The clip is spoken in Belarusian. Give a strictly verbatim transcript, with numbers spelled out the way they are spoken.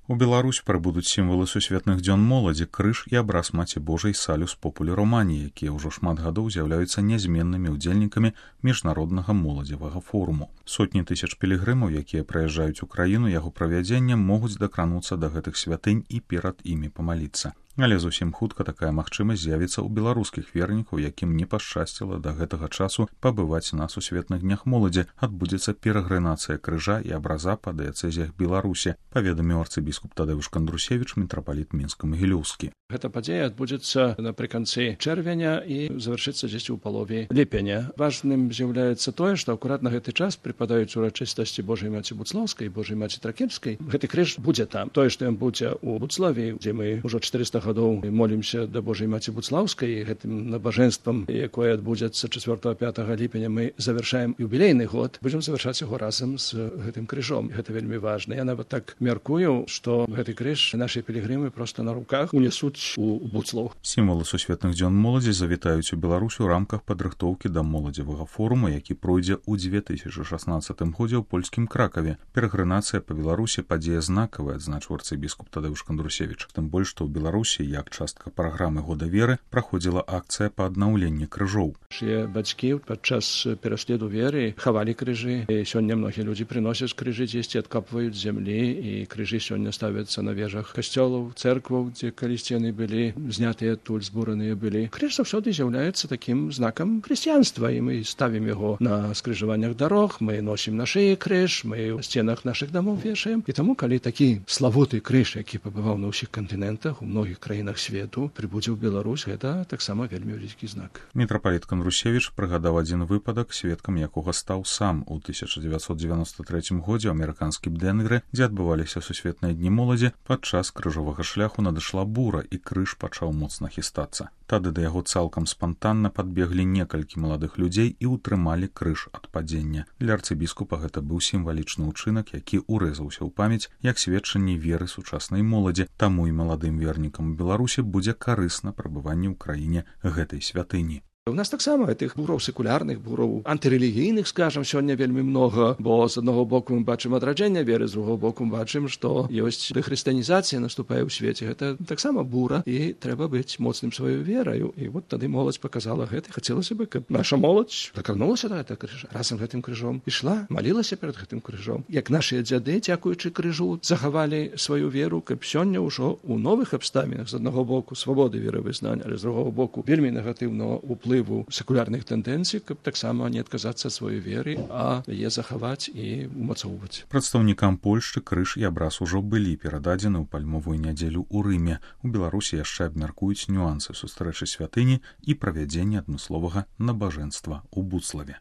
У Беларусь прыбудуць сімвалы сусветных дзён моладзі, крыж і абраз Маці Божай салюс популі романі, якія ўжо шмат гадоў з'яўляюцца нязменнымі ўдзельнікамі міжнароднага моладзевага форуму. Сотні тысяч пілігрымаў, якія прыязджаюць у краіну яго правядзення, могуць дакрануцца да гэтых святынь і перад імі памаліцца. Але зусім хутка такая магчымасць з'явіцца ў беларускіх вернікаў, якім не пашчасціла да гэтага часу пабываць на сусветных днях моладзі. Адбудзецца перагрэнацыя крыжа і абраза па дыяцэзіях Беларусі, паведаміў арцыбіскуп Тадэўш Кандрусевіч, мітрапаліт мінска-магілёўскі. Гэта падзея адбудзецца напрыканцы чэрвеня і завяршыцца дзесьці ў палове ліпеня. Важным з'яўляецца тое, што акурат на гэты час прыпадаюць урачыстасці Божай Маці Буцлаўскай і Божай Маці Тракельскай. Гэты крыж будзе там. Тое, што ён будзе ў Буцлаве, дзе мы ўжо чатырыста гадоў молімся да Божай Маці Буцлаўскай, гэтым набажэнствам, якое адбудзецца чацвёртага-пятага ліпеня, мы завяршаем юбілейны год, будзем завяршаць яго разам з гэтым крыжом. Гэта вельмі важна. Я нават так мяркую, што гэты крыж нашы пілігрымы проста на руках унесуць у Буцлаў. Сімвалы сусветных дзён моладзі завітаюць у Беларусь у рамках падрыхтоўкі да моладзевага форума, які пройдзе ў дзве тысячы шаснаццатым годзе ў польскім Кракаве. Перагрэнацыя па Беларусі падзея знакавая, адзначыў арцыбіскуп Тадэўш Кандрусевіч. Тым больш, што ў Беларусі, як частка праграмы года веры, праходзіла акцыя па аднаўленні крыжоў. Нашыя бацькі падчас пераследу веры хавалі крыжы. І сёння многія людзі прыносяць крыжы дзесьці, адкапваюць зямлі, і крыжы сёння ставяцца на вежах касцёлаў, цэркваў, дзе калісьці яны былі знятыя адтуль, збураныя былі. Крыж заўсёды з'яўляецца такім знакам хрысціянства, і мы ставім яго на скрыжаваннях дарог, мы носім на шыі крыж, мы ў сценах нашых дамоў вешаем. І таму, калі такі славуты крыж, які пабываў на ўсіх кантынентах, у многіх краінах свету, прыбудзе ў Беларусь, гэта таксама вельмі вялікі знак. Мітрапаліт Кандрусевіч прыгадаў адзін выпадак, сведкам якога стаў сам у тысяча дзевяцьсот дзевяноста трэцім годзе ў амерыканскім Денгры, дзе адбываліся сусветныя дні моладзі. Падчас крыжовага шляху надышла бура, і крыж пачаў моцна хістацца. Тады да яго цалкам спантанна падбеглі некалькі маладых людзей і ўтрымалі крыж ад падзення. Для арцыбіскупа гэта быў сімвалічны ўчынак, які урэзаўся ў памяць як сведчанне веры сучаснай моладзі. Таму і маладым вернікам у Беларусі будзе карысна прабыванне ў краіне гэтай святыні. У нас таксама гэтых бураў секулярных, бураў антырэлігійных, скажам, сёння вельмі многа, бо з аднаго боку мы бачым адраджэнне веры, з другого боку мы бачым, што ёсць дэхрыстыянізацыя наступае ў свеце. Гэта таксама бура, і трэба быць моцным сваёй вераю. І вот тады моладзь паказала гэта. Хацелася бы, каб наша моладзь дакранулася да гэтага крыжа, разам гэтым крыжом ішла, малілася перад гэтым крыжом. Як нашыя дзяды, дзякуючы крыжу, захавалі сваю веру, каб сёння ўжо ў новых абставінах, з аднаго боку свабоды веравызнання, але з другого боку вельмі негатыўнага ўплыву секулярных тэндэнцый, каб таксама не адказацца ад сваёй веры, а яе захаваць і умацоўваць. Прадстаўнікам Польшчы крыж і абраз ужо былі перададзены ў пальмовую нядзелю ў Рыме. У Беларусі яшчэ абмяркуюць нюансы сустрэчы святыні і правядзення адмысловага набажэнства ў Буцлаве.